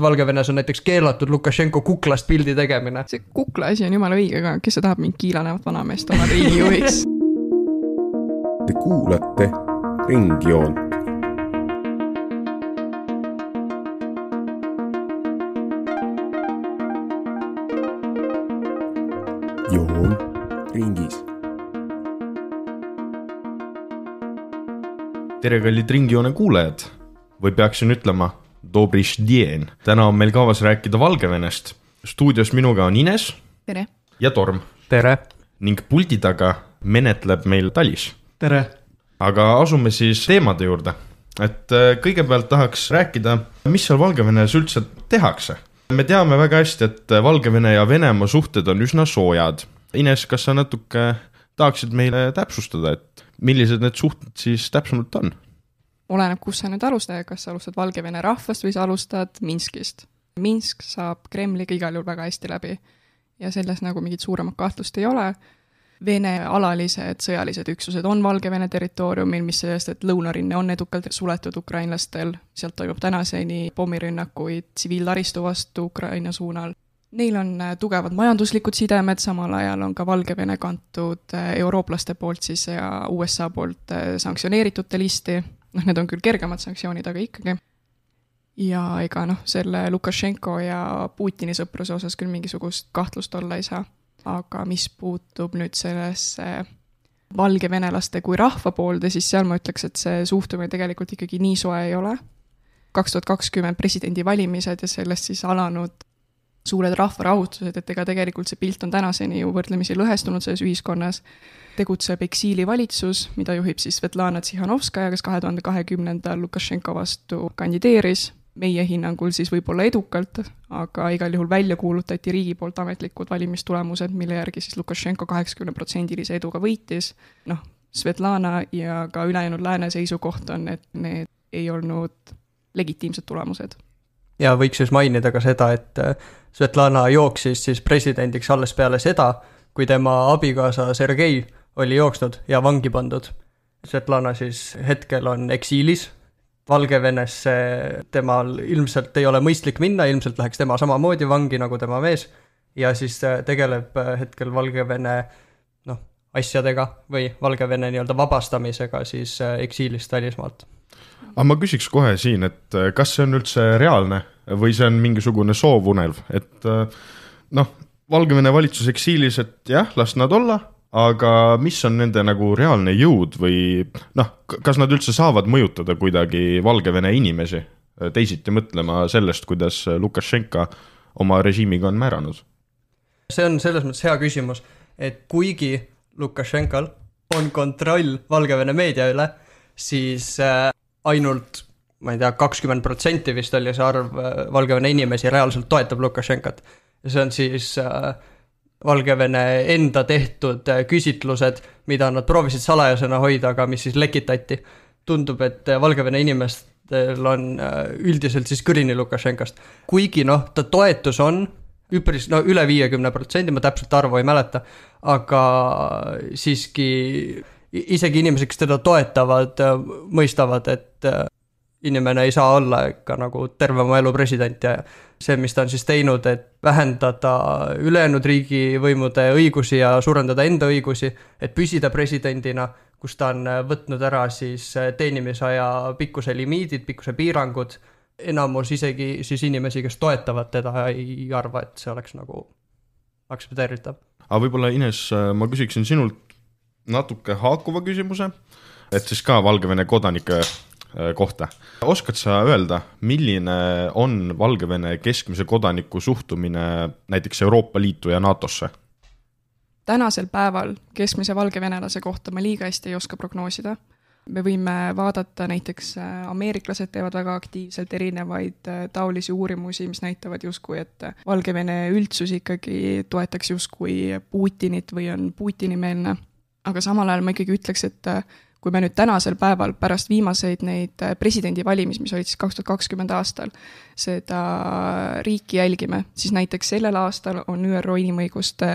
Valgevenes on näiteks keelatud Lukašenko kuklast pildi tegemine. See kukla asi on jumala õige, aga kes see tahab mind kiilanevat vanameest oma riigijuhiks? Te kuulate Ringjoont. Joon ringis. Tere, kallid Ringjoone kuulajad! Või peaksin ütlema Dobriš dien. Täna on meil kavas rääkida Valgevenest. Stuudios minuga on Ines. Tere. Ja Torm. Tere. Ning puldi taga menetleb meil Talis. Tere. Aga asume siis teemade juurde. Et kõigepealt tahaks rääkida, mis seal Valgevenes üldse tehakse. Me teame väga hästi, et Valgevene ja Venemaa suhted on üsna soojad. Ines, kas sa natuke tahaksid meile täpsustada, et millised need suhted siis täpsemalt on? Oleneb, kus sa nüüd alustad, kas sa alustad Valgevene rahvast või sa alustad Minskist. Minsk saab Kremliga igal juhul väga hästi läbi ja selles nagu mingit suuremat kahtlust ei ole. Vene alalised sõjalised üksused on Valgevene territooriumil, mis sellest, et lõunarinne on edukalt suletud ukrainlastel. Sealt toimub tänaseni pommirünnakuid tsiviiltaristu vastu Ukraina suunal. Neil on tugevad majanduslikud sidemed, samal ajal on ka Valgevene kantud eurooplaste poolt siis ja USA poolt sanktsioneeritute listi. Need on küll kergemad sanktsioonid, aga ikkagi. Ja ega selle Lukašenko ja Putini sõpruse osas küll mingisugust kahtlust olla ei saa. Aga mis puutub nüüd sellesse valgevenelaste kui rahva poolde, siis seal ma ütleks, et see suhtumine tegelikult ikkagi nii soe ei ole. 2020 presidendi valimised ja sellest siis alanud suured rahvarahutused, et ega tegelikult see pilt on tänaseni ju võrdlemisi lõhestunud selles ühiskonnas. Tegutseb eksiilivalitsus, mida juhib siis Svetlana Tsihanovskaja, kes 2020 Lukašenko vastu kandideeris. Meie hinnangul siis võib-olla edukalt, aga igal juhul välja kuulutati riigi poolt ametlikud valimistulemused, mille järgi siis Lukašenko 80%-lise eduga võitis. Svetlana ja ka ülejäänud lääne seisukoht on, et need ei olnud legitiimsed tulemused. Ja võiks siis mainida ka seda, et Svetlana jooksis siis presidendiks alles peale seda, kui tema abikaasa Sergei oli jooksnud ja vangi pandud. Svetlana siis hetkel on eksiilis. Valgevenesse temal ilmselt ei ole mõistlik minna, ilmselt läheks tema samamoodi vangi nagu tema mees ja siis tegeleb hetkel Valgevene asjadega või Valgevene nii-öelda vabastamisega siis eksiilist välismaalt. Aga ma küsiks kohe siin, et kas see on üldse reaalne või see on mingisugune soovunelv, et Valgevene valitsus eksiilis, et jah, las nad olla, aga mis on nende nagu reaalne jõud või kas nad üldse saavad mõjutada kuidagi Valgevene inimesi teisiti mõtlema sellest, kuidas Lukašenka oma režiimiga on määranud? See on selles mõttes hea küsimus, et kuigi Lukašenkal on kontroll Valgevene meedia üle, siis ainult, ma ei tea, 20% vist oli see arv Valgevene inimesi reaalselt toetab Lukašenkat. Ja see on siis Valgevene enda tehtud küsitlused, mida nad proovisid salajasena hoida, aga mis siis lekitati. Tundub, et Valgevene inimestel on üldiselt siis kõrini Lukašenkast. Kuigi ta toetus on üpris, üle 50%, ma täpselt arvu ei mäleta, aga siiski isegi inimesed, kes teda toetavad, mõistavad, et inimene ei saa olla ikka nagu terve oma elu president ja see, mis ta on siis teinud, et vähendada ülejäänud riigivõimude õigusi ja suurendada enda õigusi, et püsida presidendina, kus ta on võtnud ära siis teenimisaja pikkuse limiidid, pikkuse piirangud, enamus isegi siis inimesi, kes toetavad teda, ei arva, et see oleks nagu aktsepteeritav. Aga võib-olla, Ines, ma küsiksin sinult natuke haakuva küsimuse, et siis ka Valgevene kodanike kohta. Oskad sa öelda, milline on Valgevene keskmise kodaniku suhtumine näiteks Euroopa Liitu ja NATOsse? Tänasel päeval keskmise valgevenelase kohta ma liiga hästi ei oska prognoosida. Me võime vaadata näiteks ameeriklased teevad väga aktiivselt erinevaid taolisi uurimusi, mis näitavad justkui, et Valgevene üldsus ikkagi toetaks justkui Putinit või on Putini-meelne. Aga samal ajal ma ikkagi ütleks, et kui me nüüd tänasel päeval pärast viimaseid neid presidendi valimis, mis olid siis 2020 aastal, seda riiki jälgime, siis näiteks sellel aastal on ÜRO Inimõiguste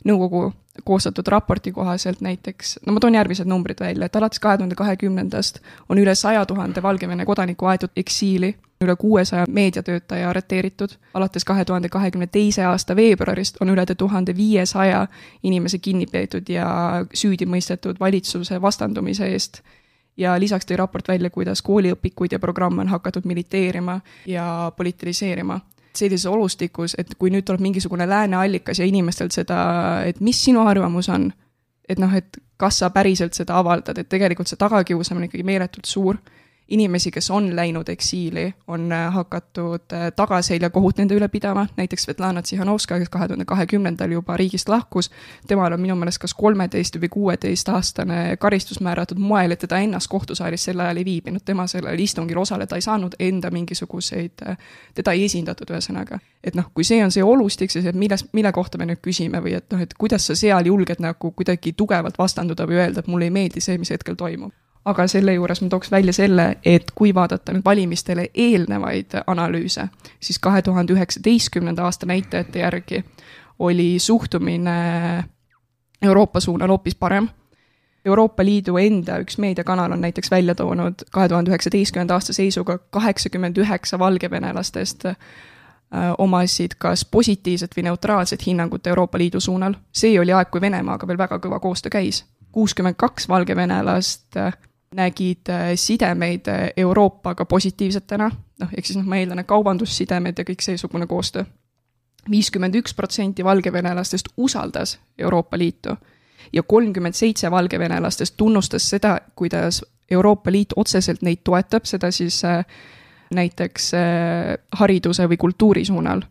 Nõukogu koostatud raporti kohaselt näiteks, no ma toon järgmised numbrid välja, et alates 2020 on üle 100 000 Valgevene kodaniku aetud eksiili, üle 600 meediatöötaja arreteeritud, alates 2022. aasta veebruarist on üle 1500 inimese kinni peetud ja süüdi mõistetud valitsuse vastandumise eest. Ja lisaks tõi raport välja, kuidas kooliõpikuid ja programme on hakatud militeerima ja politiseerima. Sellises olustikus, et kui nüüd tuleb mingisugune lääne allikas ja inimestelt seda, et mis sinu arvamus on, et et kas sa päriselt seda avaldad, et tegelikult see tagakiusamine ikkagi meeletult suur. Inimesi, kes on läinud eksiili, on hakatud tagaselja kohut nende üle pidama, näiteks Svetlana Tsihanovska, kes 2020. juba riigist lahkus, temal on minu meelest kas 13 või 16 aastane karistus määratud moel, et teda ennast kohtusaalis sel ajal ei viibinud, tema sellel istungil osaleda ei saanud, enda mingisuguseid, teda ei esindatud ühesõnaga. Et kui see on see olustik, siis mille kohta me nüüd küsime või et kuidas sa seal julged nagu kuidagi tugevalt vastanduda või öelda, et mulle ei meeldi see, mis hetkel toimub. Aga selle juures ma tooks välja selle, et kui vaadata nüüd valimistele eelnevaid analüüse, siis 2019. aasta näitajate järgi oli suhtumine Euroopa suunal hoopis parem. Euroopa Liidu enda üks meediakanal on näiteks välja toonud 2019. aasta seisuga 89 valgevenelastest omasid kas positiivset või neutraalset hinnangut Euroopa Liidu suunal. See oli aeg, kui Venemaaga veel väga kõva koostöö käis. 62 valgevenelast nägid sidemeid Euroopaga positiivsetena, ehk siis ma eeldan, kaubandussidemed ja kõik seesugune koostöö. 51% valgevenelastest usaldas Euroopa Liitu ja 37 valgevenelastest tunnustas seda, kuidas Euroopa Liit otseselt neid toetab, seda siis näiteks hariduse või kultuuri suunal.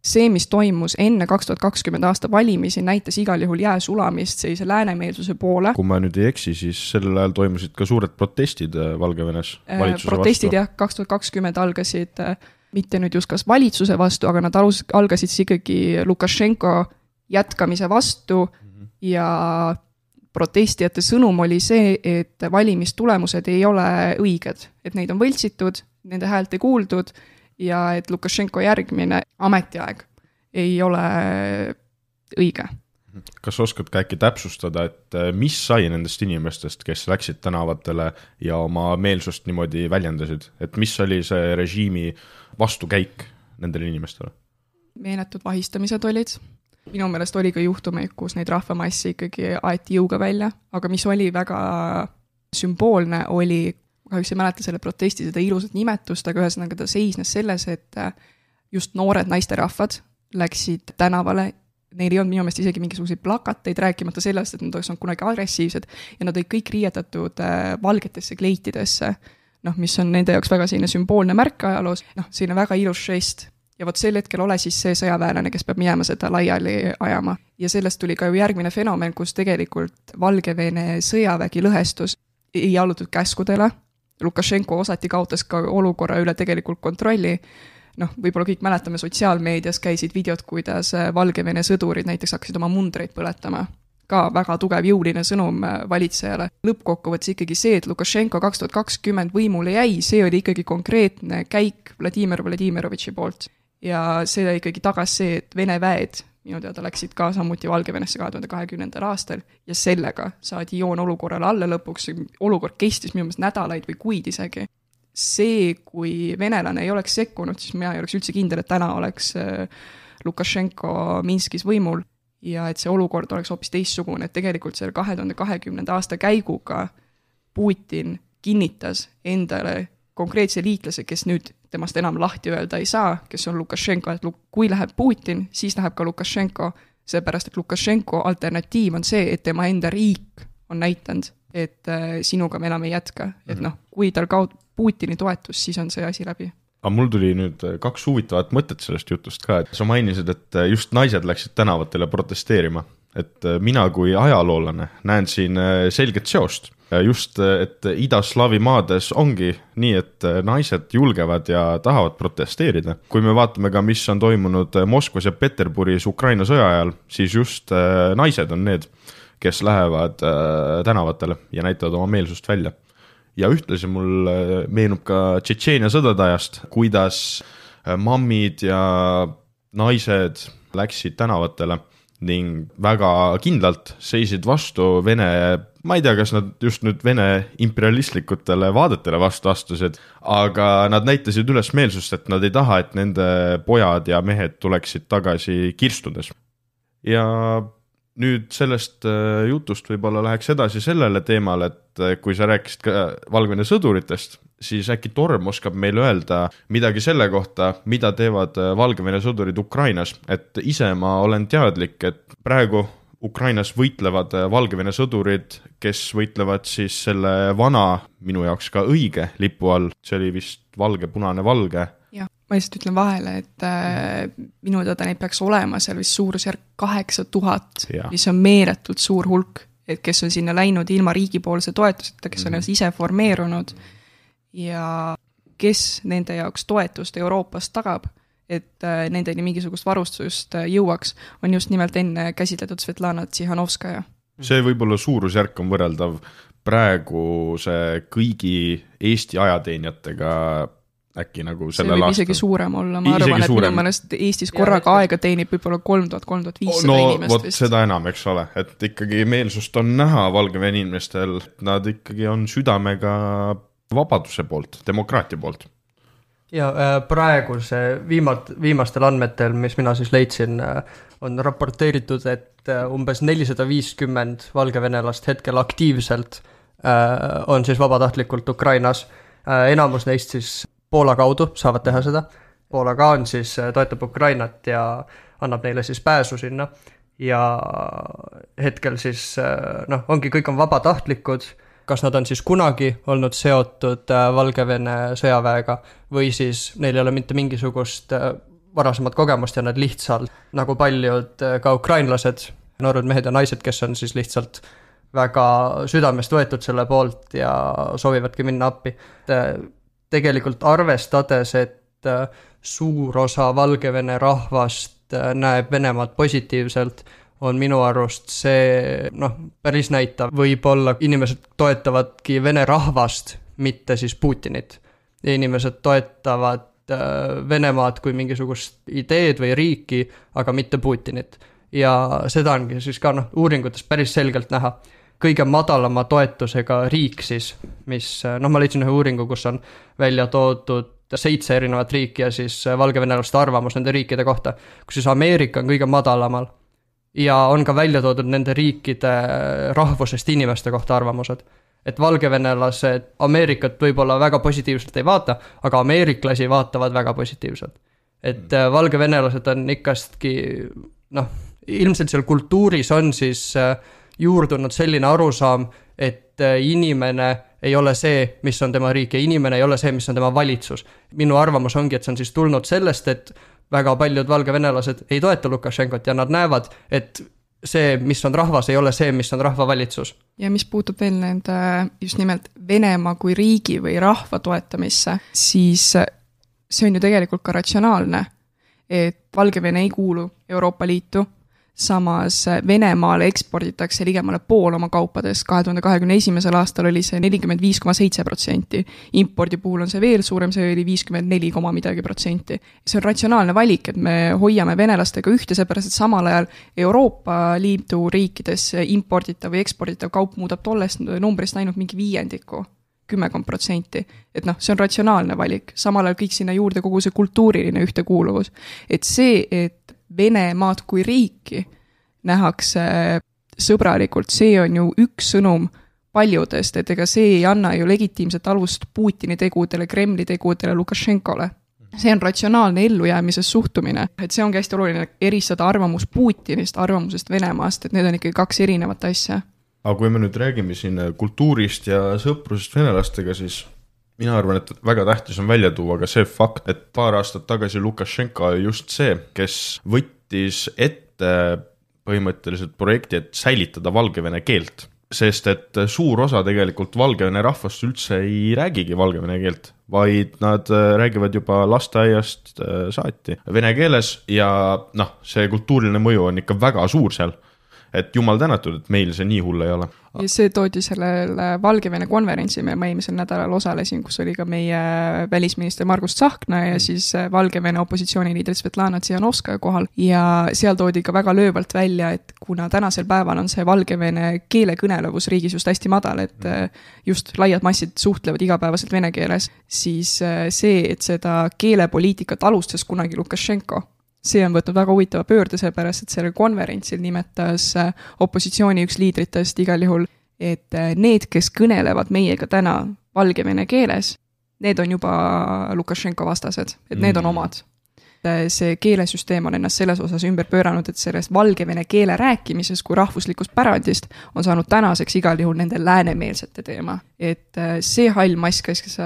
See, mis toimus enne 2020 aasta valimisi, näitas igal juhul jää sulamist sellise läänemeelsuse poole. Kui ma nüüd ei eksi, siis sellel ajal toimusid ka suured protestid Valgevenes valitsuse protestid, vastu. Protestid 2020 algasid mitte nüüd just kas valitsuse vastu, aga nad algasid ikkagi Lukašenko jätkamise vastu ja protestijate sõnum oli see, et valimistulemused ei ole õiged, et neid on võltsitud, nende häält ei kuuldud ja et Lukašenko järgmine ametiaeg ei ole õige. Kas oskad ka äkki täpsustada, et mis sai nendest inimestest, kes läksid tänavatele ja oma meelsust niimoodi väljendasid? Et mis oli see režiimi vastukäik nendele inimestele? Meeletud vahistamised olid. Minu meelest oli ka juhtumeid, kus neid rahvamassi ikkagi aeti jõuga välja, aga mis oli väga sümboolne, oli kahjuks ei mäleta selle protesti seda ilusat nimetust, aga ühesõnaga ta seisnes selles, et just noored naisterahvad läksid tänavale, neil ei olnud minu meelest isegi mingisuguseid plakateid, rääkimata sellest, et nad oleks olnud kunagi agressiivsed ja nad olid kõik riietatud valgetesse kleitidesse, mis on nende jaoks väga selline sümboolne märk ajaloos, selline väga ilus žest. Ja võt sel hetkel ole siis see sõjaväelane, kes peab minema seda laiali ajama. Ja sellest tuli ka ju järgmine fenomen, kus tegelikult Valgevene sõjavägi lõhestus ei allutud käskudele. Lukašenko osati kaotas ka olukorra üle tegelikult kontrolli. Võib-olla kõik mäletame sotsiaalmeedias käisid videod, kuidas Valgevene sõdurid näiteks hakkasid oma mundreid põletama. Ka väga tugev jõuline sõnum valitsejale. Lõppkokkuvõttes ikkagi see, et Lukašenko 2020 võimule jäi, see oli ikkagi konkreetne käik Vladimir Vladimirovitši poolt. Ja see ikkagi tagas see, et Vene väed minu teada läksid ka samuti Valgevenesse 2020. aastal ja sellega saadi joon olukorrale alla lõpuks. Olukord kestis minu meelest nädalaid või kuid isegi. See, kui venelane ei oleks sekkunud, siis mina ei oleks üldse kindel, et täna oleks Lukašenko Minskis võimul ja et see olukord oleks hoopis teistsugune, et tegelikult selle 2020. aasta käiguga Putin kinnitas endale konkreetse liitlase, kes nüüd temast enam lahti öelda ei saa, kes on Lukašenko, et kui läheb Putin, siis läheb ka Lukašenko, seepärast et Lukašenko alternatiiv on see, et tema enda riik on näitanud, et sinuga me enam ei jätka, et kui tal kaob Putini toetus, siis on see asi läbi. Aga mul tuli nüüd 2 huvitavat mõtet sellest jutust ka, et sa mainisid, et just naised läksid tänavatele protesteerima, et mina kui ajaloolane näen siin selget seost. Just, et idaslaavi maades ongi nii, et naised julgevad ja tahavad protesteerida. Kui me vaatame ka, mis on toimunud Moskvas ja Peterburis Ukraina sõja ajal, siis just naised on need, kes lähevad tänavatele ja näitavad oma meelsust välja. Ja ühtlasi mul meenub ka Tšetšeenia sõdade ajast, kuidas mammid ja naised läksid tänavatele ning väga kindlalt seisid vastu Vene, ma ei tea, kas nad just nüüd Vene imperialistlikutele vaadetele vastu astusid, aga nad näitasid üles meelsust, et nad ei taha, et nende pojad ja mehed tuleksid tagasi kirstudes. Ja nüüd sellest jutust võib-olla läheks edasi sellele teemale, et kui sa rääkisid ka Valgevene sõduritest, siis äkki Torm oskab meile öelda midagi selle kohta, mida teevad Valgevene sõdurid Ukrainas. Et ise ma olen teadlik, et praegu Ukrainas võitlevad Valgevene sõdurid, kes võitlevad siis selle vana, minu jaoks ka õige lipu all, see oli vist valge, punane, valge. Jah, ma lihtsalt ütlen vahele, et minu teada neid peaks olema seal vist suurusjärk 8000, mis on meeletult suur hulk, et kes on sinna läinud ilma riigipoolse toetuseta, kes on ise formeerunud ja kes nende jaoks toetust Euroopast tagab, et nendeni mingisugust varustust jõuaks, on just nimelt enne käsitletud Svetlana Tsihanovskaja. See võib-olla suurusjärk on võrreldav praeguse kõigi Eesti ajateenijatega äkki nagu sellel aastal. See võib isegi suurem olla, ma arvan, et minu mõnest Eestis korraga aega teenib võib-olla 3000-3500 inimest vot vist. Seda enam, eks ole, et ikkagi meelsust on näha Valgevene inimestel, nad ikkagi on südamega vabaduse poolt, demokraatia poolt. Ja praeguse viimastel andmetel, mis mina siis leidsin, on raporteeritud, et umbes 450 valgevenelast hetkel aktiivselt on siis vabatahtlikult Ukrainas. Enamus neist siis Poola kaudu saavad teha seda. Poola ka on siis, toetab Ukrainat ja annab neile siis pääsu sinna. Ja hetkel siis, ongi, kõik on vabatahtlikud, kas nad on siis kunagi olnud seotud Valgevene sõjaväega või siis neil ei ole mitte mingisugust varasemat kogemust ja nad lihtsalt, nagu paljud ka ukrainlased, noored mehed ja naised, kes on siis lihtsalt väga südamest võetud selle poolt ja soovivadki minna appi. Tegelikult arvestades, et suur osa Valgevene rahvast näeb Venemaad positiivselt, on minu arust see päris näitav. Võib-olla inimesed toetavadki Vene rahvast, mitte siis Putinit. Ja inimesed toetavad Venemaad kui mingisugust ideed või riiki, aga mitte Putinit. Ja seda ongi siis ka uuringutes päris selgelt näha. Kõige madalama toetusega riik siis, mis, ma leidsin ühe uuringu, kus on välja toodud 7 erinevat riiki ja siis valgevenelaste arvamus nende riikide kohta, kus siis Ameerika on kõige madalamal. Ja on ka välja toodud nende riikide rahvusest inimeste kohta arvamused. Et valgevenelased Ameerikat võib-olla väga positiivselt ei vaata, aga ameeriklasi vaatavad väga positiivselt. Et valgevenelased on ikkastki, ilmselt seal kultuuris on siis juurdunud selline arusaam, et inimene ei ole see, mis on tema riik ja inimene ei ole see, mis on tema valitsus. Minu arvamus ongi, et see on siis tulnud sellest, et väga paljud valgevenelased ei toeta Lukašenkot ja nad näevad, et see, mis on rahvas, ei ole see, mis on rahvavalitsus. Ja mis puutub veel nende just nimelt Venemaa kui riigi või rahva toetamisse, siis see on ju tegelikult ka ratsionaalne, et Valgevene ei kuulu Euroopa Liitu, samas Venemaale eksporditakse ligemale pool oma kaupadest, 2021. aastal oli see 45,7%, impordi puhul on see veel suurem, see oli 54,midagi%. See on ratsionaalne valik, et me hoiame venelastega ühte, seepärast, et samal ajal Euroopa Liidu riikides imporditav või eksporditav kaup muudab tollest numbrist ainult mingi 5%. 10%. Et see on ratsionaalne valik, samal ajal kõik sinna juurde kogu see kultuuriline ühtekuuluvus. Et see, et Venemaad kui riiki nähakse sõbralikult, see on ju üks sõnum paljudest, et ega see ei anna ju legitiimset alust Putini tegudele, Kremli tegudele, Lukašenkole. See on ratsionaalne ellujäämises suhtumine, et see ongi hästi oluline eristada arvamus Putinist, arvamusest Venemaast, et need on ikkagi 2 erinevat asja. Aga kui me nüüd räägime siin kultuurist ja sõprusest venelastega, siis mina arvan, et väga tähtis on välja tuua ka see fakt, et paar aastat tagasi Lukašenka just see, kes võttis ette põhimõtteliselt projekti, et säilitada valgevene keelt. Sest et suur osa tegelikult valgevene rahvast üldse ei räägigi valgevene keelt, vaid nad räägivad juba lasteaiast saati vene keeles ja see kultuuriline mõju on ikka väga suur seal. et jumal tänatud, et meil see nii hull ei ole. Ja see toodi sellel Valgevene konverentsi, ma eelmisel nädalal osalesin, kus oli ka meie välisminister Margus Tsahkna ja siis Valgevene opositsiooniliider Svetlana Tsihanovskaja kohal ja seal toodi ka väga löövalt välja, et kuna tänasel päeval on see Valgevene keelekõnelevus riigis just hästi madal, et just laiad massid suhtlevad igapäevaselt vene keeles, siis see, et seda keelepoliitikat alustas kunagi Lukašenko, see on võtnud väga huvitava pöörde, seepärast, et sellel konverentsil nimetas opositsiooni üks liidritest igal juhul, et need, kes kõnelevad meiega täna valgevene keeles, need on juba Lukašenko vastased, et need on omad. See keelesüsteem on ennast selles osas ümber pööranud, et sellest valgevene keele rääkimises kui rahvuslikust pärandist on saanud tänaseks igal juhul nende läänemeelsete teema. Et see hall mass, kes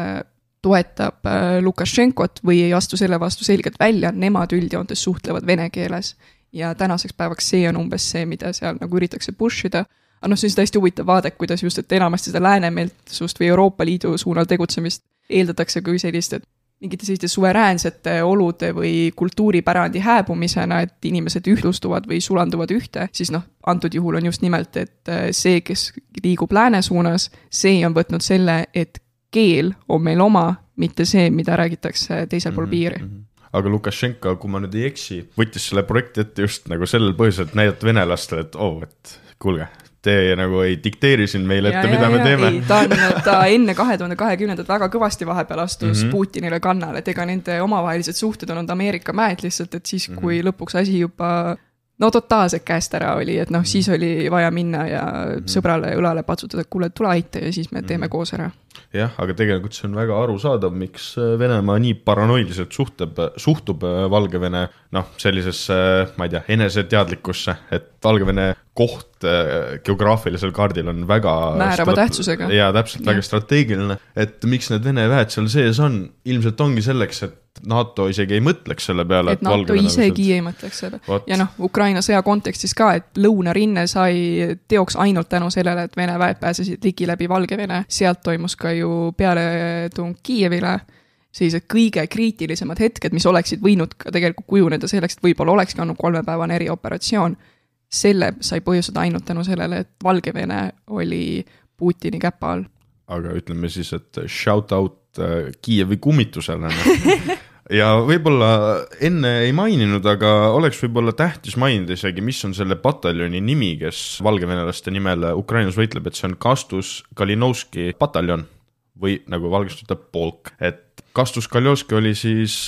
toetab Lukašenkot või ei astu selle vastu selgelt välja, nemad üldjoontes suhtlevad vene keeles. Ja tänaseks päevaks see on umbes see, mida seal nagu üritakse pushida. Aga see on täiesti huvitav vaade, kuidas just, et enamasti seda läänemeelsust või Euroopa Liidu suunal tegutsemist eeldatakse kui sellist, et mingite selliste suveräänsete olude või kultuuripärandi hääbumisena, et inimesed ühtlustuvad või sulanduvad ühte, siis antud juhul on just nimelt, et see, kes liigub lääne suunas, see on võtnud selle, et keel on meil oma, mitte see, mida räägitakse teisel pool piiri. Aga Lukašenko, kui ma nüüd ei eksi, võttis selle projekti ette just nagu sellel põhjusel, et näidata venelastele, et kuulge, te nagu ei dikteeri siin meile ette, mida me teeme. Ei, ta enne 2020 väga kõvasti vahepeal astus Putinile kannale, et ega nende omavahelised suhted on Ameerika mäed lihtsalt, et siis kui lõpuks asi juba totaalselt käest ära oli, et siis oli vaja minna ja sõbrale õlale patsutada, et kuule, tule aita ja siis me teeme koos ära. Jah, aga tegelikult see on väga arusaadav, miks Venemaa nii paranoiliselt suhtub Valgevene sellisesse, ma ei tea, eneseteadlikkusse, et Valgevene koht geograafilisel kaardil on väga määrava tähtsusega. Ja täpselt väga strateegiline, et miks need Vene väed seal sees on, ilmselt ongi selleks, et NATO isegi ei mõtleks selle peale, et NATO isegi ei mõtleks selle. Ja Ukraina sõja kontekstis ka, et lõunarinne sai teoks ainult tänu sellele, et Vene väed pääsesid ligi läbi Valgevene. Sealt toimus ka ju pealetung Kiievile, sellised kõige kriitilisemad hetked, mis oleksid võinud ka tegelikult kujuneda selleks, et võib-olla olekski olnud 3-päevane erioperatsioon. Selle sai põhjustada ainult tänu sellele, et Valgevene oli Putini käpa all. Aga ütleme siis, et shout out Kiievi kummitusele. Ja võib-olla enne ei maininud, aga oleks võib-olla tähtis mainida isegi, mis on selle pataljoni nimi, kes valgevenelaste nimel Ukrainas võitleb, et see on Kastus Kalinovski pataljon või nagu valgest ütleb polk. Et Kastus Kalinovski oli siis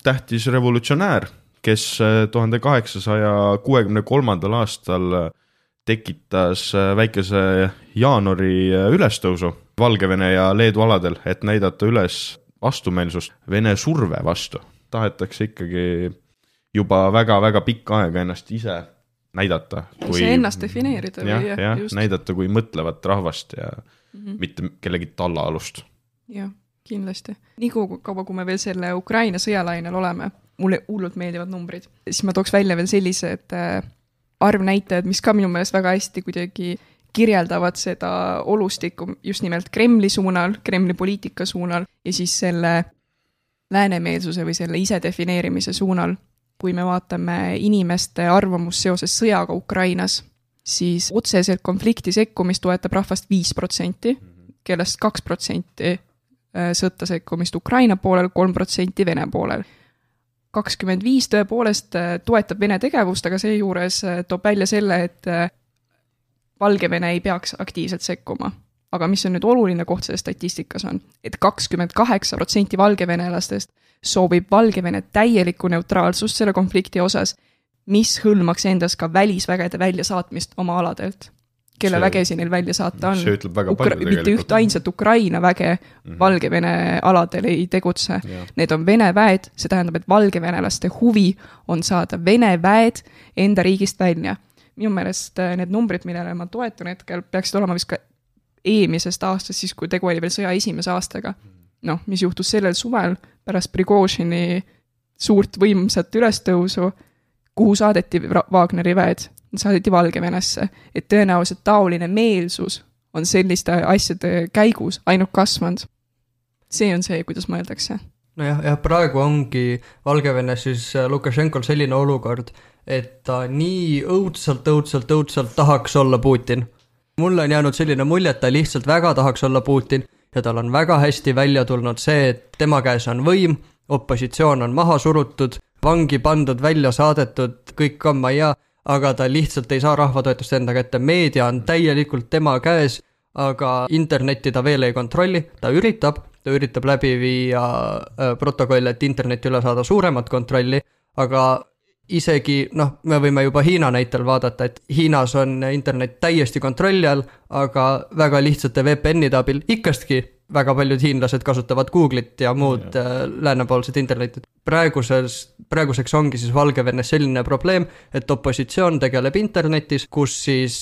tähtis revolutsionäär, kes 1863. aastal tekitas väikese jaanuari ülestõusu Valgevene ja Leedu aladel, et näidata üles vastumeelsust Vene surve vastu. Tahetakse ikkagi juba väga-väga pikka aega ennast ise näidata. See ennast defineerida. Ja, näidata kui mõtlevat rahvast ja mitte kellegi tallaalust. Jah, kindlasti. Nii kaua, kui me veel selle Ukraina sõjalainel oleme, mulle hullult meeldivad numbrid. Siis ma tooks välja veel sellised arvnäitajad, mis ka minu meelest väga hästi kuidagi kirjeldavad seda olustikku just nimelt Kremli suunal, Kremli poliitika suunal ja siis selle läänemeelsuse või selle isedefineerimise suunal. Kui me vaatame inimeste arvamust seoses sõjaga Ukrainas, siis otseselt konflikti sekkumist toetab rahvast 5%, kellest 2% sõtta sekkumist Ukraina poolel, 3% Vene poolel. 25 tõepoolest toetab Vene tegevust, aga seejuures toob välja selle, et Valgevene ei peaks aktiivselt sekkuma. Aga mis on nüüd oluline koht selle statistikas on, et 28% valgevenelastest soovib Valgevene täielikku neutraalsust selle konflikti osas, mis hõlmaks endas ka välisvägede väljasaatmist oma aladelt. Kelle vägesi neil välja saata on. See ütleb väga palju tegelikult. Mitte üht ainsat Ukraina väge Valgevene aladel ei tegutse. Need on Vene väed, see tähendab, et valgevenelaste huvi on saada Vene väed enda riigist välja. Minu meelest need numbrid, millele ma toetun hetkel, peaksid olema vist ka eelmisest aastast, siis kui tegu oli veel sõja esimese aastaga. Mis juhtus sellel suvel pärast Prigožini suurt võimsat ülestõusu, kuhu saadeti Wagneri väed, saadeti Valgevenesse, et tõenäoliselt taoline meelsus on selliste asjade käigus ainult kasvanud. See on see, kuidas mõeldakse. nojah, jah, praegu ongi Valgevenes siis Lukašenkol selline olukord, et ta nii õudselt tahaks olla Putin. Mulle on jäänud selline mulje, et ta lihtsalt väga tahaks olla Putin ja tal on väga hästi välja tulnud see, et tema käes on võim, opositsioon on maha surutud, vangi pandud, välja saadetud, kõik on ma ja, aga ta lihtsalt ei saa rahvatoetust enda kätte, meedia on täielikult tema käes, aga internetti ta veel ei kontrolli, ta üritab läbi viia protokolle, et internetti üle saada suuremat kontrolli, aga isegi, me võime juba Hiina näitel vaadata, et Hiinas on internet täiesti kontrolli all, aga väga lihtsate VPN-ide abil ikkastki väga paljud hiinlased kasutavad Google'it ja muud läänepoolsed internetit. Praeguseks ongi siis Valgevenes selline probleem, et opositsioon tegeleb internetis, kus siis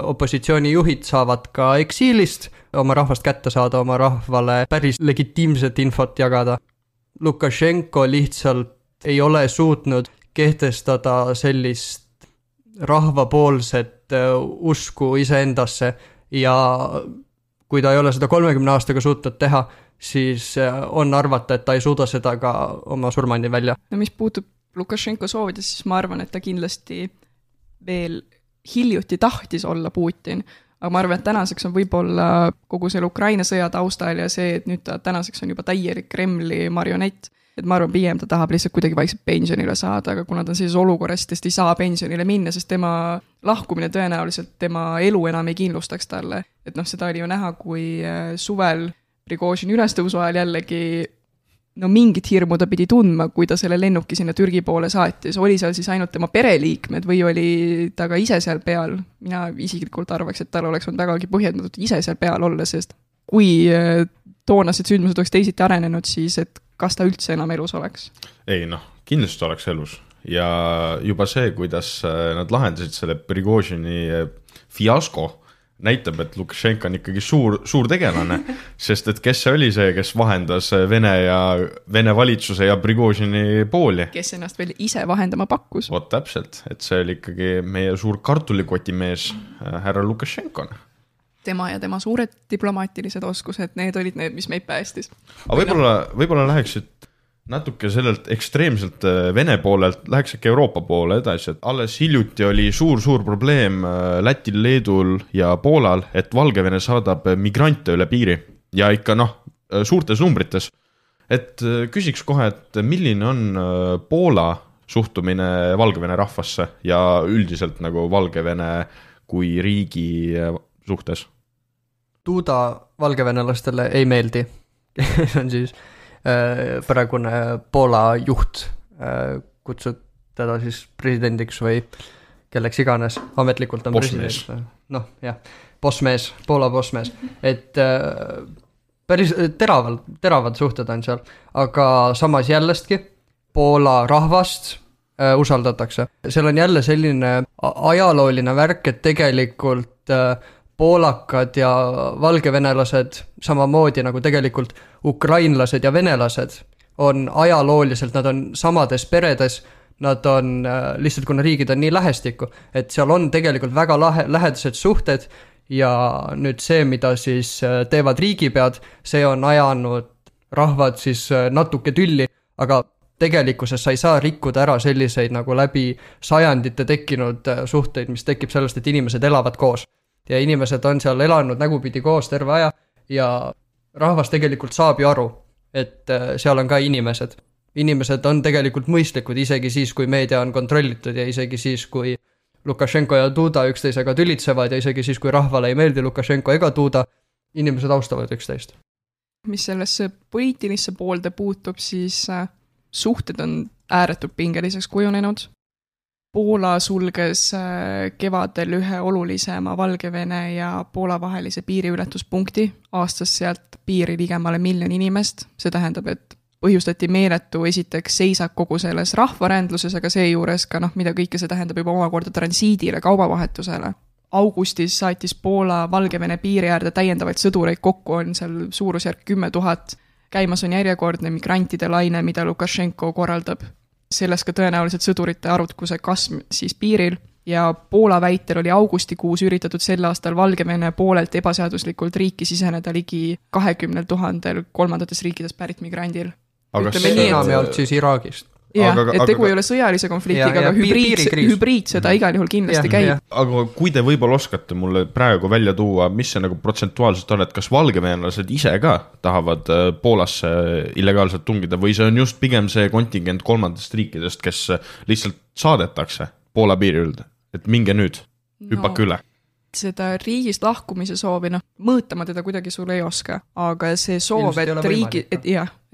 opositsioonijuhid saavad ka eksiilist oma rahvast kätte saada, oma rahvale päris legitiimset infot jagada. Lukašenko lihtsalt ei ole suutnud kehtestada sellist rahvapoolset usku iseendasse ja kui ta ei ole seda 30 aastaga suutnud teha, siis on arvata, et ta ei suuda seda ka oma surmani välja. No mis puutub Lukašenko soovides, siis ma arvan, et ta kindlasti veel hiljuti tahtis olla Putin, aga ma arvan, et tänaseks on võib-olla kogu selle Ukraina sõja taustal ja see, et nüüd ta tänaseks on juba täielik Kremli marionett, et ma arvan, pigem ta tahab lihtsalt kuidagi vaikselt pensionile saada, aga kuna ta on sellises olukorras, ta ei saa pensionile minna, sest tema lahkumine tõenäoliselt tema elu enam ei kindlustaks talle. Et seda oli ju näha, kui suvel Prigožini ülestõusu ajal jällegi mingit hirmu ta pidi tundma, kui ta selle lennuki sinna Türgi poole saatis. Oli seal siis ainult tema pereliikmed või oli ta ka ise seal peal? Mina isiklikult arvaks, et tal oleks olnud vägagi põhjendatud ise seal peal olla, sest kui toonased sündmused oleks teisiti arenenud, siis et kas ta üldse enam elus oleks? Ei, kindlasti oleks elus. Ja juba see, kuidas nad lahendasid selle Prigožini fiasko, näitab, et Lukašenko on ikkagi suur tegelane, sest et kes see oli see, kes vahendas Vene valitsuse ja Prigožini pooli? Kes ennast veel ise vahendama pakkus? Vot täpselt, et see oli ikkagi meie suur kartulikotimees härra Lukašenko. Tema ja tema suured diplomaatilised oskused, need olid need, mis meid päästis. Aga võib-olla läheksid natuke sellelt ekstreemselt Vene poolelt, läheks äkki Euroopa poole edasi, et alles hiljuti oli suur probleem Lätil, Leedul ja Poolal, et Valgevene saadab migrante üle piiri ja ikka suurtes numbrites. Et küsiks kohe, et milline on Poola suhtumine Valgevene rahvasse ja üldiselt nagu Valgevene kui riigi suhtes? Duda valgevenelastele ei meeldi. See on siis praegune Poola juht, kutsud teda siis presidendiks või kelleks iganes, ametlikult on bossmees. President. Bossmees, Poola bossmees. Et päris teravad suhted on seal, aga samas jällestki Poola rahvast usaldatakse. Seal on jälle selline ajalooline värk, et tegelikult poolakad ja valgevenelased samamoodi nagu tegelikult ukrainlased ja venelased on ajalooliselt, nad on samades peredes, nad on lihtsalt, kuna riigid on nii lähestikku, et seal on tegelikult väga lähedased suhted ja nüüd see, mida siis teevad riigipead, see on ajanud rahvad siis natuke tülli, aga tegelikkuses sa ei saa rikkuda ära selliseid nagu läbi sajandite tekkinud suhteid, mis tekib sellest, et inimesed elavad koos. Ja inimesed on seal elanud nägupidi koos terve aja ja rahvas tegelikult saab ju aru, et seal on ka inimesed. Inimesed on tegelikult mõistlikud isegi siis, kui meedia on kontrollitud ja isegi siis, kui Lukašenko ja Duda üksteisega tülitsevad ja isegi siis, kui rahvale ei meeldi Lukašenko ega Duda, inimesed austavad üksteist. Mis sellesse poliitilisse poolde puutub, siis suhted on ääretult pingeliseks kujunenud. Poola sulges kevadel ühe olulisema Valgevene ja Poola vahelise piiriületuspunkti, aastas sealt piiri ligemale 1 miljon inimest. See tähendab, et põhjustati meeletu esiteks seisak kogu selles rahvarändluses, aga seejuures ka mida kõike see tähendab juba omakorda transiidile, kaubavahetusele. Augustis saatis Poola Valgevene piiri äärde täiendavaid sõdureid, kokku on seal suurusjärk 10 000. Käimas on järjekordne migrantide laine, mida Lukašenko korraldab. Selles ka tõenäoliselt sõdurite arvutkuse kasv siis piiril ja Poola väitel oli augustikuus üritatud sel aastal Valgevene poolelt ebaseaduslikult riiki siseneda ligi 20 000 kolmandates riikides pärit migrandil. ütleme nii, enamjaolt siis Iraagist. Jah, et tegu ei ole sõjalise konfliktiga, aga hübriidsõda igal juhul kindlasti käib. Aga kui te võib-olla oskate mulle praegu välja tuua, mis see nagu protsentuaalselt on, et kas valgevenelased ise ka tahavad Poolasse illegaalselt tungida või see on just pigem see kontingent kolmandast riikidest, kes lihtsalt saadetakse Poola piiri ülde, et minge nüüd, hüppake üle? Seda riigist lahkumise soovi, mõõtama teda kuidagi sul ei oska, aga see soov,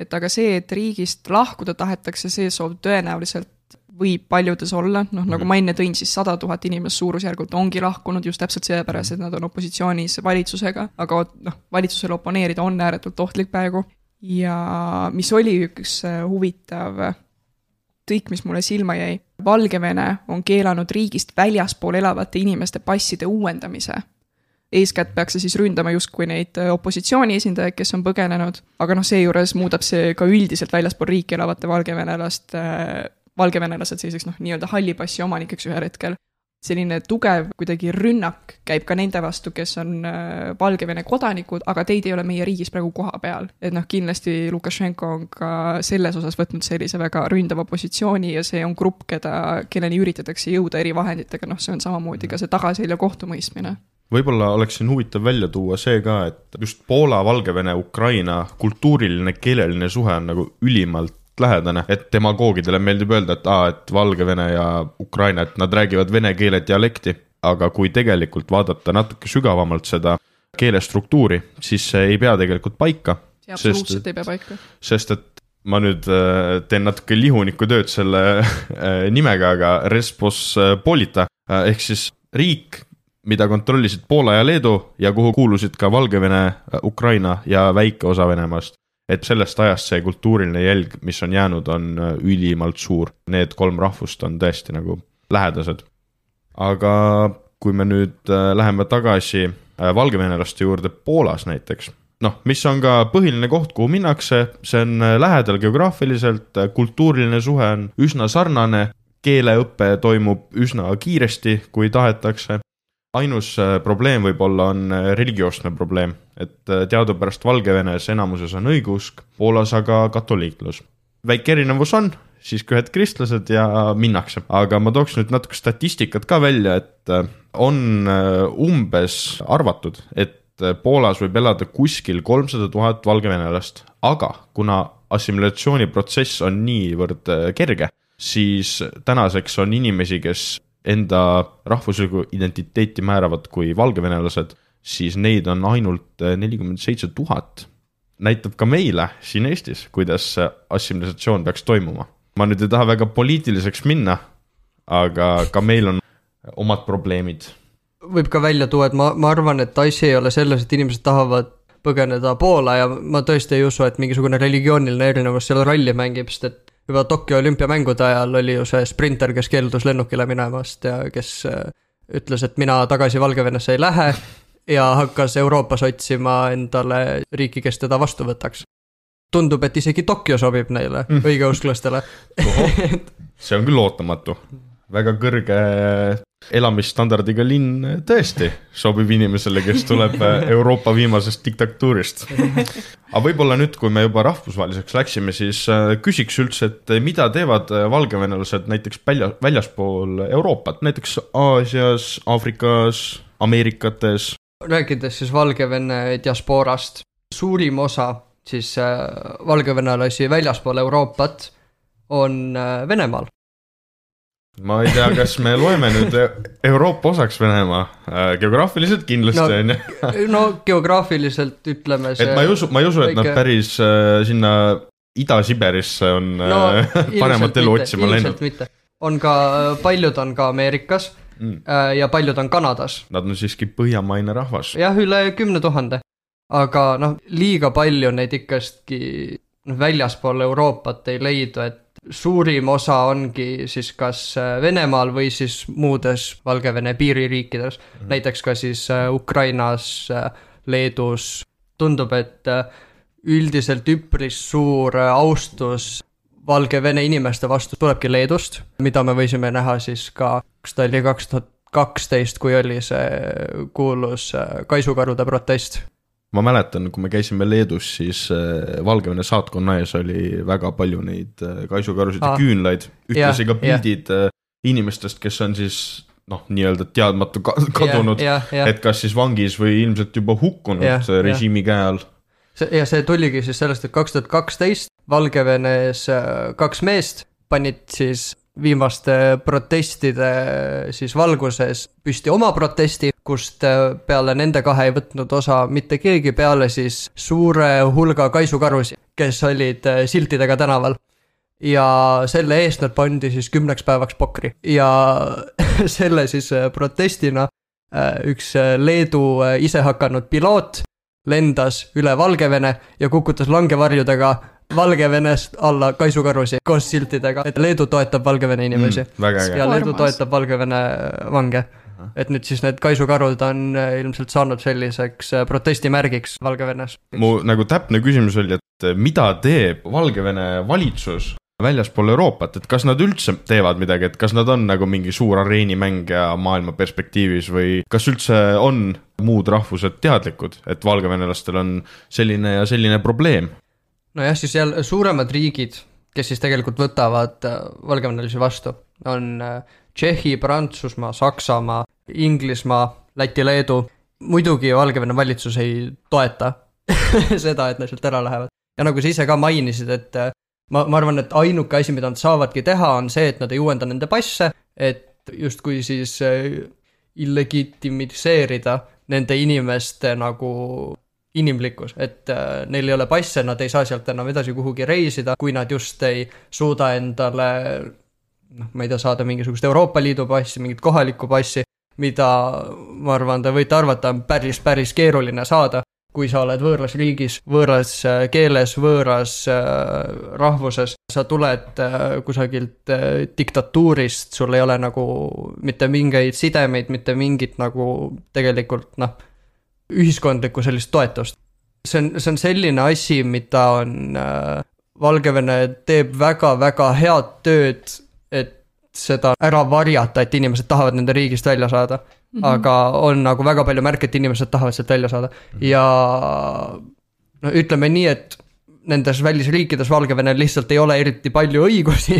et riigist lahkuda tahetakse, see soov tõenäoliselt võib paljudes olla, nagu ma enne tõin, siis 100 000 inimest suurusjärgult ongi lahkunud just täpselt seepärast, et nad on opositsioonis valitsusega, aga valitsusele oponeerida on ääretult ohtlik praegu. Ja mis oli üks huvitav tõik, mis mulle silma jäi. Valgevene on keelanud riigist väljaspool elavate inimeste passide uuendamise. Eeskätt peaks see siis ründama justkui neid opositsiooni esindajaid, kes on põgenenud, aga seejuures muudab see ka üldiselt väljaspool riiki elavate valgevenelased selliseks nii-öelda hallipassi omanikeks ühel hetkel. Selline tugev kuidagi rünnak käib ka nende vastu, kes on Valgevene kodanikud, aga teid ei ole meie riigis praegu koha peal. Et kindlasti Lukašenko on ka selles osas võtnud sellise väga ründava positsiooni ja see on grupp, kelleni üritatakse jõuda eri vahenditega, see on samamoodi ka see tagaselja kohtumõistmine. Võib-olla oleks siin huvitav välja tuua see ka, et just Poola, Valgevene, Ukraina kultuuriline, keeleline suhe on nagu ülimalt lähedane, et demagoogidele meeldib öelda, et Valgevene ja Ukraina, et nad räägivad vene keele dialekti, aga kui tegelikult vaadata natuke sügavamalt seda keelestruktuuri, siis see ei pea tegelikult paika. See absoluutselt ei pea paika. Sest et ma nüüd teen natuke lihuniku tööd selle nimega, aga Respospolita, ehk siis riik, mida kontrollisid Poola ja Leedu ja kuhu kuulusid ka Valgevene, Ukraina ja väike osa Venemaast. Et sellest ajast see kultuuriline jälg, mis on jäänud, on ülimalt suur. Need 3 rahvust on tõesti nagu lähedased. Aga kui me nüüd läheme tagasi valgevenelaste juurde Poolas näiteks, mis on ka põhiline koht, kuhu minnakse, see on lähedal geograafiliselt, kultuuriline suhe on üsna sarnane, keeleõppe toimub üsna kiiresti, kui tahetakse. Ainus probleem võib-olla on religioosne probleem, et teadupärast Valgevenes enamuses on õigusk, Poolas aga katoliiklus. Väike erinevus on, siis ühed kristlased ja minnakse. Aga ma tooks nüüd natuke statistikat ka välja, et on umbes arvatud, et Poolas võib elada kuskil 300 000 valgevenelast, aga kuna assimilatsiooniprotsess on niivõrd kerge, siis tänaseks on inimesi, kes enda rahvusliku identiteeti määravad kui valgevenelased, siis neid on ainult 47 000. Näitab ka meile siin Eestis, kuidas assimilatsioon peaks toimuma. Ma nüüd ei taha väga poliitiliseks minna, aga ka meil on omad probleemid. Võib ka välja tuua, et ma arvan, et asi ei ole selles, et inimesed tahavad põgeneda Poola ja ma tõesti ei usu, et mingisugune religiooniline erinevus seal rolli mängib, sest et juba Tokyo olümpiamängude ajal oli ju see sprinter, kes keeldus lennukile minemast ja kes ütles, et mina tagasi Valgevenesse ei lähe ja hakkas Euroopas otsima endale riiki, kes teda vastu võtaks. Tundub, et isegi Tokyo sobib neile, õigeusklastele. See on küll ootamatu. Väga kõrge elamisstandardiga linn tõesti sobib inimesele, kes tuleb Euroopa viimasest diktatuurist. Aga võib-olla nüüd, kui me juba rahvusvaheliseks läksime, siis küsiks üldse, et mida teevad valgevenelased näiteks väljaspool Euroopat, näiteks Aasias, Aafrikas, Ameerikates? Rääkides siis Valgevene diasporast, suurim osa siis valgevenelasi väljaspool Euroopat on Venemaal. Ma ei tea, kas me loeme nüüd Euroopa osaks Venemaa. Geograafiliselt kindlasti on. No geograafiliselt ütleme see... Et ma ei usu, et nad päris sinna Ida-Siberisse on paremat elu otsima läinud. Ilmselt mitte. Paljud on ka Ameerikas ja paljud on Kanadas. Nad on siiski põhjamaine rahvas. Jah, üle 10 000. Aga liiga palju neid ikkastki väljaspool Euroopat ei leidu, et suurim osa ongi siis kas Venemaal või siis muudes Valgevene piiririikides, näiteks ka siis Ukrainas, Leedus. Tundub, et üldiselt üpris suur austus Valgevene inimeste vastu tulebki Leedust, mida me võisime näha siis ka, kas ta oli 2012, kui oli see kuulus kaisukarude protest. ma mäletan, kui me käisime Leedus, siis Valgevene saatkonna ees oli väga palju neid kaisukarusid ja küünlaid, ühtlasi ka pildid inimestest, kes on siis nii-öelda teadmatu kadunud, et kas siis vangis või ilmselt juba hukkunud režiimi käe all. Ja see tuligi siis sellest, et 2012 Valgevenes 2 meest panid siis viimaste protestide siis valguses püsti oma protesti, kust peale nende 2 ei võtnud osa mitte keegi peale siis suure hulga kaisukarusi, kes olid siltidega tänaval. Ja selle eest nad pandi siis 10 päevaks pokri. Ja selle siis protestina üks Leedu ise hakanud piloot lendas üle Valgevene ja kukutas langevarjudega Valgevenest alla kaisukarusi koos siltidega, et Leedu toetab Valgevene inimesi ja Leedu toetab Valgevene vange. Et nüüd siis need kaisukarud on ilmselt saanud selliseks protestimärgiks Valgevenes. Mu nagu täpne küsimus oli, et mida teeb Valgevene valitsus väljaspool Euroopat, et kas nad üldse teevad midagi, et kas nad on nagu mingi suur areenimängija maailma perspektiivis või kas üldse on muud rahvused teadlikud, et valgevenelastel on selline ja selline probleem? Nojah, siis jälle suuremad riigid, kes siis tegelikult võtavad valgevenelasi vastu, on Tšehhi, Prantsusmaa, Saksamaa, Inglismaa, Läti, Leedu. Muidugi Valgevene valitsus ei toeta seda, et nad sealt ära lähevad. Ja nagu sa ise ka mainisid, et ma arvan, et ainuke asi, mida nad saavadki teha, on see, et nad ei uuenda nende passe, et justkui siis illegitimiseerida nende inimeste nagu inimlikkus, et neil ei ole passe, nad ei saa sealt enam edasi kuhugi reisida, kui nad just ei suuda endale, ma ei tea, saada mingisugust Euroopa Liidu passi, mingit kohalikku passi, mida ma arvan, te võite arvata, on päris keeruline saada, kui sa oled võõras riigis, võõras keeles, võõras rahvuses, sa tuled kusagilt diktatuurist, sul ei ole nagu mitte mingeid sidemeid, mitte mingit nagu tegelikult ühiskondlikku sellist toetust. See on selline asi, mida on Valgevene teeb väga head tööd, et seda ära varjata, et inimesed tahavad nende riigist välja saada. Aga on nagu väga palju märke, et inimesed tahavad sealt välja saada. Ja ütleme nii, et nendes välisriikides Valgevene lihtsalt ei ole eriti palju õigusi,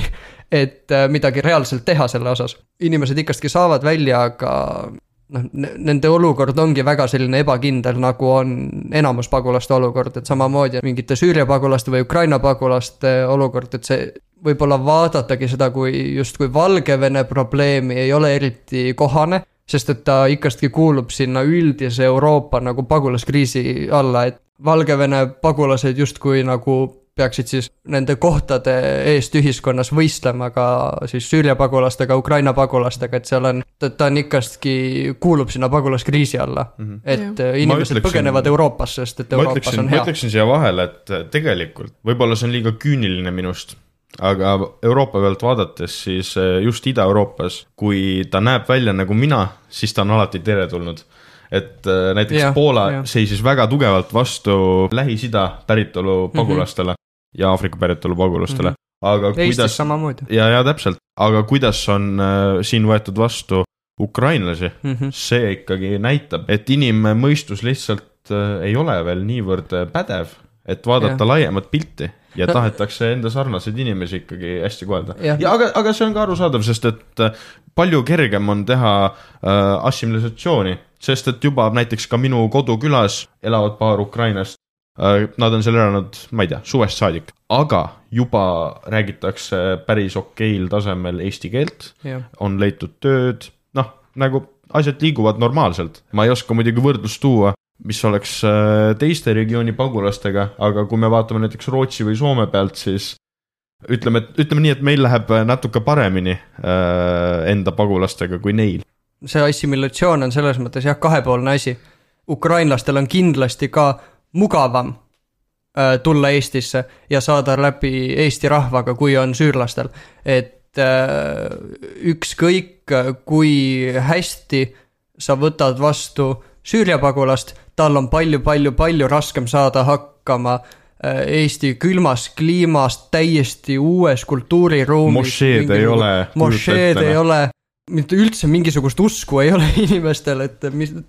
et midagi reaalselt teha selle osas. Inimesed ikastki saavad välja, aga nende olukord ongi väga selline ebakindel, nagu on enamus pagulaste olukord, et samamoodi mingite Süüria pagulaste või Ukraina pagulaste olukord, et see võib-olla vaadatagi seda kui Valgevene probleemi ei ole eriti kohane, sest et ta ikastki kuulub sinna üldise Euroopa nagu pagulaskriisi alla, et Valgevene pagulased justkui nagu peaksid siis nende kohtade eest ühiskonnas võistlema ka siis Süüria pagulastega, Ukraina pagulastega, et seal on, ta on ikastki kuulub sinna pagulaskriisi alla, et inimesed põgenevad Euroopas, sest et Euroopas on hea. Ma ütleksin siia vahele, et tegelikult võib-olla see on liiga küüniline minust, aga Euroopa pealt vaadates siis just Ida-Euroopas, kui ta näeb välja nagu mina, siis ta on alati teretulnud. Et näiteks Poola seisis väga tugevalt vastu Lähis-Ida päritolu pagulastele ja Aafrika päritolu pagulastele. Aga Eestis samamoodi. Ja täpselt, aga kuidas on siin võetud vastu ukrainlasi, see ikkagi näitab, et inimmõistus lihtsalt ei ole veel niivõrd pädev, et vaadata laiemat pilti ja tahetakse enda sarnaseid inimesi ikkagi hästi kohelda. Aga see on ka arusaadav, sest et palju kergem on teha assimilisatsiooni, sest et juba näiteks ka minu kodukülas elavad paar Ukrainast, nad on seal elanud, ma ei tea, suvest saadik, aga juba räägitakse päris okeil tasemel eesti keelt, on leitud tööd, nagu asjad liiguvad normaalselt. Ma ei oska muidugi võrdlust tuua, mis oleks teiste regiooni pagulastega, aga kui me vaatame näiteks Rootsi või Soome pealt, siis ütleme nii, et meil läheb natuke paremini enda pagulastega kui neil. See assimilatsioon on selles mõttes kahepoolne asi. Ukrainlastel on kindlasti ka mugavam tulla Eestisse ja saada läbi Eesti rahvaga, kui on süürlastel. Et ükskõik, kui hästi sa võtad vastu Süüria pagulast, tal on palju raskem saada hakkama Eesti külmas kliimast täiesti uues kultuuriruumis. Mošeed ei ole, mitte üldse mingisugust usku ei ole inimestel, et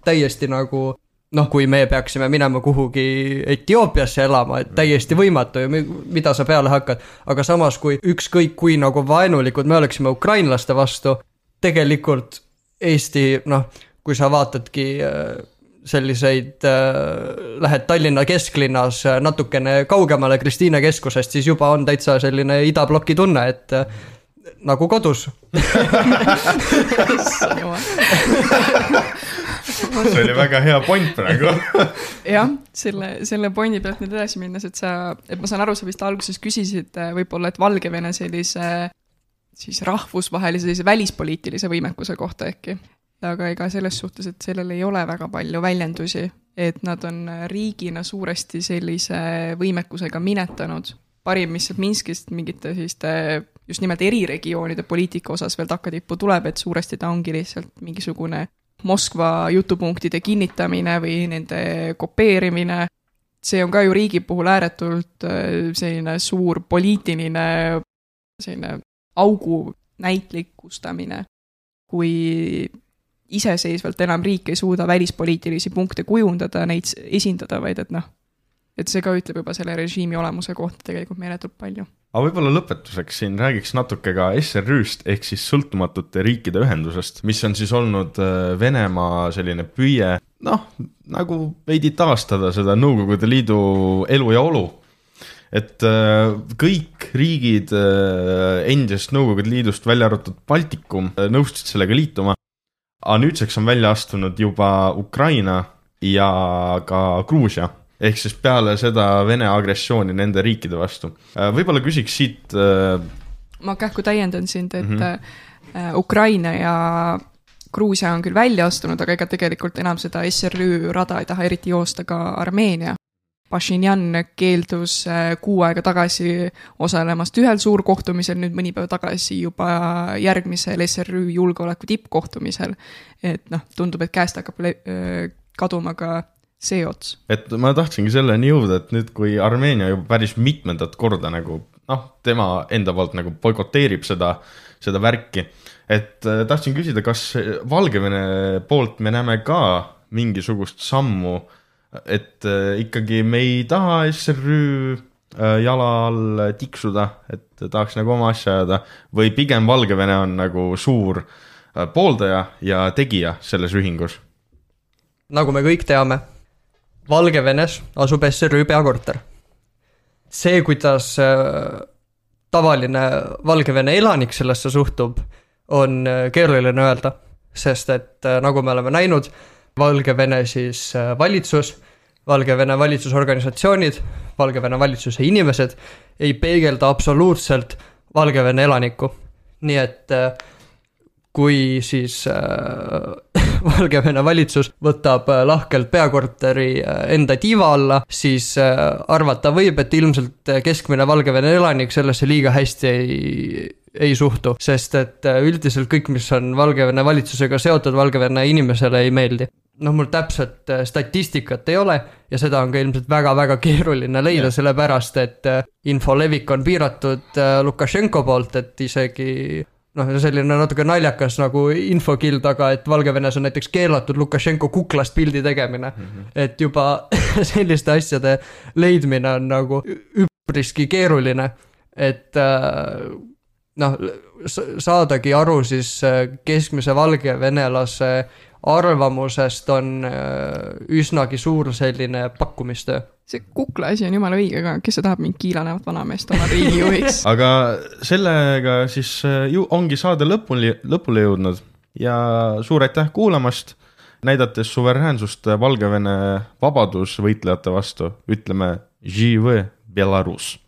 täiesti nagu noh, kui me peaksime minema kuhugi Etioopiasse elama, et täiesti võimatu ja mida sa peale hakkad, aga samas kui ükskõik kui nagu vaenulikud me oleksime ukrainlaste vastu, tegelikult Eesti, noh, kui sa vaatadki selliseid, lähed Tallinna kesklinnas natukene kaugemale Kristiine keskusest, siis juba on täitsa selline idabloki tunne, et nagu kodus. See oli väga hea point praegu. Jah, selle pointi pealt nüüd edasi minnes, et ma saan aru, sa vist alguses küsisid võib-olla, et Valgevene sellise siis rahvusvahelise sellise välispoliitilise võimekuse kohta äkki. Aga ega selles suhtes, et sellel ei ole väga palju väljendusi, et nad on riigina suuresti sellise võimekusega minetanud. Parim, mis Minskist mingite selliste just nimelt eriregioonide poliitika osas veel takkatippu tuleb, et suuresti ta ongi lihtsalt mingisugune Moskva jutupunktide kinnitamine või nende kopeerimine. See on ka ju riigi puhul ääretult selline suur poliitiline selline augu näitlikustamine, kui iseseisvalt enam riik ei suuda välispoliitilisi punkte kujundada, neid esindada, vaid et see ka ütleb juba selle režiimi olemuse kohta tegelikult meeletult palju. Aga võib-olla lõpetuseks siin räägiks natuke ka SRÜ-st ehk siis sõltumatute riikide ühendusest, mis on siis olnud Venemaa selline püüe, nagu veidi taastada seda Nõukogude Liidu elu ja olu. Et kõik riigid endisest Nõukogude Liidust välja arvatud Baltikum nõustusid sellega liituma, aga nüüdseks on välja astunud juba Ukraina ja ka Gruusia, ehk siis peale seda Vene agressiooni nende riikide vastu. Võib-olla küsiks siit... Ma kähku täiendan sind, et Ukraina ja Gruusia on küll välja astunud, aga ega tegelikult enam seda SRÜ rada ei taha eriti joosta ka Armeenia. Pashinyan keeldus 6 aega tagasi osalemast ühel suurkohtumisel, nüüd mõni päev tagasi juba järgmisel SRÜ julgeoleku tippkohtumisel. Et tundub, et käest hakkab kaduma ka see ots. Et ma tahtsingi selleni jõuda, et nüüd kui Armeenia juba päris mitmendat korda nagu, tema enda poolt nagu boikoteerib seda värki, et tahtsin küsida, kas Valgevene poolt me näeme ka mingisugust sammu, et ikkagi me ei taha SRÜ jala all tiksuda, et tahaks nagu oma asja ajada, või pigem Valgevene on nagu suur pooldaja ja tegija selles ühingus? Nagu me kõik teame, Valgevenes asub SRÜ peakorter. See, kuidas tavaline Valgevene elanik sellesse suhtub, on keeruline öelda, sest et nagu me oleme näinud, Valgevene siis valitsus, Valgevene valitsusorganisatsioonid, Valgevene valitsuse inimesed ei peegelda absoluutselt Valgevene elanikku. Nii et kui siis Valgevene valitsus võtab lahkelt peakorteri enda tiiva alla, siis arvata võib, et ilmselt keskmine Valgevene elanik sellesse liiga hästi ei suhtu, sest et üldiselt kõik, mis on Valgevene valitsusega seotud, Valgevene inimesele ei meeldi. Mul täpselt statistikat ei ole ja seda on ka ilmselt väga-väga keeruline leida, sellepärast, et infolevik on piiratud Lukašenko poolt, et isegi selline natuke naljakas nagu infokild, aga et Valgevenes on näiteks keelatud Lukašenko kuklast pildi tegemine, et juba selliste asjade leidmine on nagu üpriski keeruline, et saadagi aru siis keskmise valgevenelase arvamusest on üsnagi suur selline pakkumistöö. See kukla asi on jumala õige, aga kes see tahab mind kiilanevat vanameest oma riigijuhiks? Aga sellega siis ongi saade lõpule jõudnud ja suur aitäh kuulamast, näidates suveräänsust Valgevene vabadusvõitlejate vastu, ütleme Žive Belarus.